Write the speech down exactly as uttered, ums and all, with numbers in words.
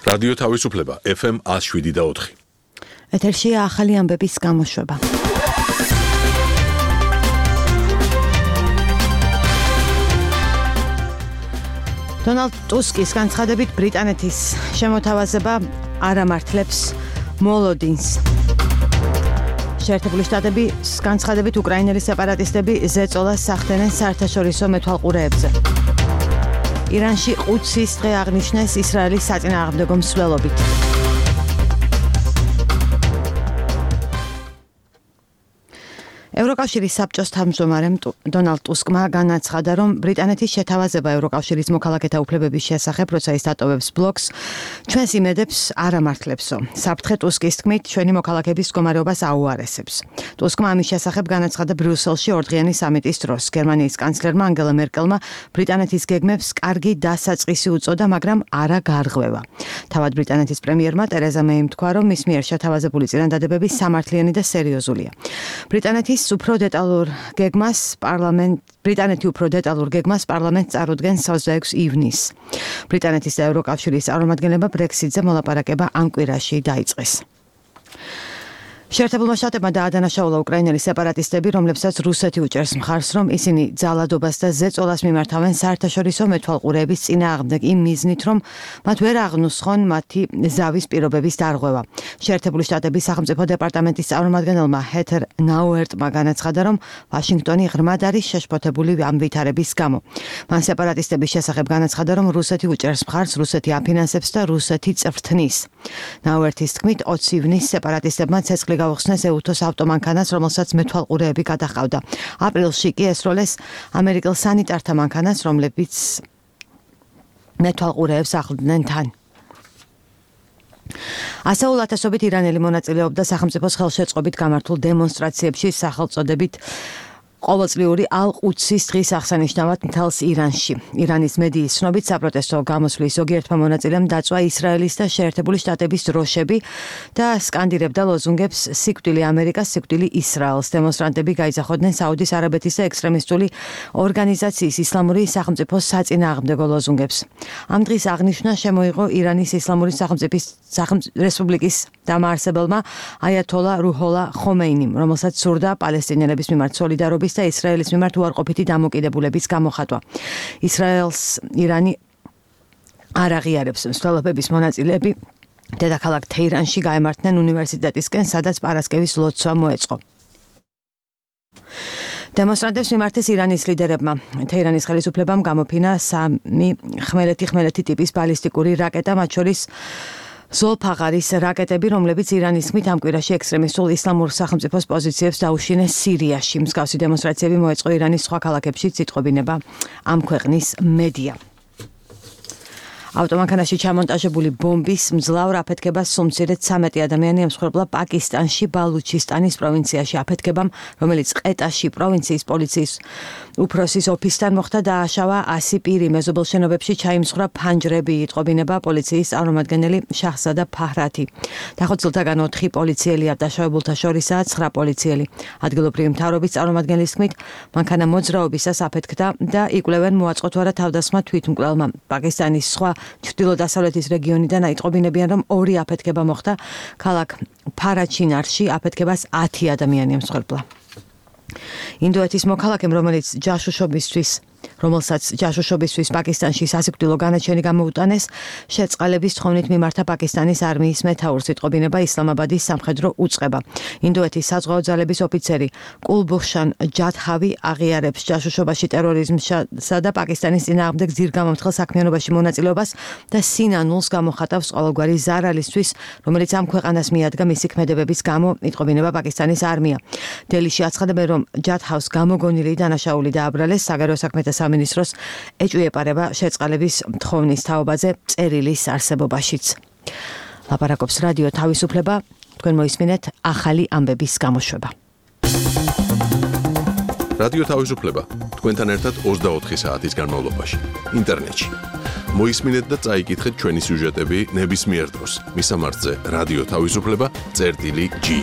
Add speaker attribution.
Speaker 1: რადიო თავისუფლება ეფ ემ one oh seven და four.
Speaker 2: ეთერშია ახალი ამბების გამოშვება. დონალდ ტუსკის განცხადებით ბრიტანეთის შემოთავაზება არ ამართლებს მოლოდინს. შეერთებული შტატების განცხადებით უკრაინელი სეპარატისტები ზეწოლას სახდენენ საერთაშორისო მეთვალყურეებზე. ირანში ყუდსის დღე აღნიშნეს ისრაელის საწინააღმდეგო მსვლელობით. ევროკავშირის საბჭოს თავმჯდომარემ დონალდ ტუსკმა განაცხადა, რომ ბრიტანეთის შეთავაზება ევროკავშირის მოქალაქეთა უფლებების შესახებ, როცა ის დატოვებს ბლოკს, ჩვენს იმედებს არ ამართლებსო. საფრთხე ტუსკის თქმით, ჩვენი მოქალაქეების მდგომარეობას აუარესებს. ტუსკმა ამის შესახებ განაცხადა ბრიუსელში ორდღიანი სამიტის დროს. გერმანიის კანცლერმა ანგელა მერკელმა ბრიტანეთის გეგმებს კარგი დასაწყისი უწოდა, მაგრამ არა გარღვევა. თავად ბრიტანეთის პრემიერმა ტერეზა მეიმ თქვა, რომ მის მიერ შეთავაზებული წინადადებები სამართლიანი და სერიოზულია. ბრიტანეთის უფრო დეტალურ გეგმას პარლამენტ ბრიტანეთი უფრო დეტალურ გეგმას პარლამენტს წარუდგენს twenty-six ივნის. ბრიტანეთის და ევროკავშირის წარმომადგენლებმა ბრექსიტზე მოლაპარაკება ამ კვირაში დაიწყეს. შეერთებულმა შტატებმა დაადანაშაულა უკრაინელი სეპარატისტები, რომლებსაც რუსეთი უჭერს მხარს, რომ ისინი ძალადობას და ზეწოლას მიმართავენ საერთაშორისო მეთვალყურეების წინააღმდეგ იმ მიზნით, რომ მათ ვერ აღნუსხონ მათი ზავის პირობების დარღვევა. შეერთებული შტატების სახელმწიფო დეპარტამენტის წარმომადგენელმა ჰეთერ ნაუერტმა განაცხადა, რომ ვაშინგტონი ღრმად არის შეშფოთებული ამ ვითარების გამო. მან სეპარატისტების შესახებ განაცხადა, რომ რუსეთი უჭერს მხარს, რუსეთი აფინანსებს და რუსეთი წვრთნის. ნაუერტის თქმით, twenty ივნის სეპარატისტებმა ცეცხლი გავხსნეს ეუთოს ავტომანქანას, რომელსაც მეთვალყურეები გადაჰყავდა. აპრილში კი ესროლეს ამერიკელ სანიტართა მანქანას, რომლებიც მეთვალყურეებს ახლდნენ თან. ასეულ ათასობით ირანელი მონაწილეობდა სახელმწიფოს ხელშეწყობით გამართულ დემონსტრაციებში სახელწოდებით ყოველწლიური ალ-ყუდსის დღის აღსანიშნავად მთელს ირანში. ირანის მედიის ცნობით საპროტესტო გამოსვლის ზოგიერთმა მონაწილემ დაწვა ისრაელის და შეერთებული შტატების დროშები და სკანდირებდა ლოზუნგებს სიკვდილი ამერიკას, სიკვდილი ისრაელს. დემონსტრანტები გაიძახოდნენ საუდის არაბეთის და ექსტრემისტული ორგანიზაციის ისლამური სახელმწიფოს საწინააღმდეგო ლოზუნგებს. ამ დღის აღნიშვნა შემოიღო ირანის ისლამური სახელმწიფოს რესპუბლიკის დამაარსებელმა აიათოლა რუჰოლა ხომეინიმ, რომელსაც სურდა პალესტინელების მიმართ სოლიდარობის და ისრაელის მიმართ უარყოფითი დამოკიდებულების გამოხატვა. ისრაელს ირანი არ აღიარებს. მსვლელობების მონაწილეები დედაქალაქ თეირანში გაემართნენ უნივერსიტეტისკენ, სადაც პარასკევის ლოცვა მოეწყო. დემონსტრანტებს მიმართეს ირანის ლიდერებმა. თეირანის ხელისუფლებამ გამოფინა სამი ხმელეთი-ხმელეთი ტიპის ბალისტიკური რაკეტა, მათ შორის ზოლფაღარის რაკეტები, რომლებიც ირანის თქმით ამ კვირაში ექსტრემისტულ ისლამურ სახელმწიფოს პოზიციებს დაუშინეს სირიაში. მსგავსი დემონსტრაციები მოეწყო ირანის სხვა ქალაქებშიც, იტყობინება ამ ქვეყნის მედია. ავტომანქანაში ჩამონტაჟებული ბომბის მძლავრ აფეთქებას სულ მცირედ ცამეტი ადამიანი ემსხვერპლა პაკისტანში ბალუჩისტანის პროვინციაში. აფეთქებამ, რომელიც ყეტაში პროვინციის პოლიციის უფროსის ოფისთან მოხდა, დააშავა ასი პირი. მეზობელ შენობებში ჩაიმსხვრა ფანჯრები, იტყობინება პოლიციის წარმომადგენელი შაჰზადა ფაჰრათი. დახოცილთაგან ოთხი პოლიციელია, დაშავებულთა შორისაა ცხრა პოლიციელი. ადგილობრივი მთავრობის წარმომადგენლის თქმით, მანქანა მოძრაობისას აფეთქდა და იკვლევენ მოაწყო თუ არა თავდასხმა თვითმკვლელმა. პაკისტანის სხვა ჩრდილო-დასავლეთის რეგიონიდან აიტყობინებიან, რომ ორი აფეთქება მოხდა ქალაქ ფარაჩინარში. აფეთქებას ათი ადამიანი ემსხვერპლა. ინდოეთის მოქალაქემ, რომელიც ჯაშუშობისთვის რომელსაც ჯაშუშობისთვის პაკისტანში სასიკვდილო განაჩენი გამოუტანეს, შეწყალების თხოვნით მიმართა პაკისტანის არმიის მეთაურს, იტყობინება ისლამაბადის სამხედრო უწყება. ინდოეთის საზღვაო ძალების ოფიცერი კულბუშან ჯადჰავი აღიარებს ჯაშუშობაში ტერორიზმსა და პაკისტანის წინააღმდეგ ძირგამომთხელ საქმიანობაში მონაწილეობას და სინანულს გამოხატავს ყოველგვარი ზარალისთვის, რომელიც ამ ქვეყანას მიადგა მისი ქმედებების გამო, იტყობინება პაკისტანის არმია. დელიში აცხადებენ, რომ ჯადჰავს გამოგონილი დანაშაული დააბრალეს. საგარეო საქმეთა სამინისტროს ეჭვი ეპარება შეწყალების თხოვნის თაობაზე წერილის არსებობაშიც. ლაპარაკობს რადიო თავისუფლება, თქვენ მოისმინეთ ახალი ამბების გამოშვება.
Speaker 1: რადიო თავისუფლება, თქვენთან ერთად ოცდაოთხი საათის განმავლობაში, ინტერნეტში. მოისმინეთ და წაიკითხეთ ჩვენი სიუჟეტები ნებისმიერ დროს. მისამართზე რადიო თავისუფლება წერტილი ჯი.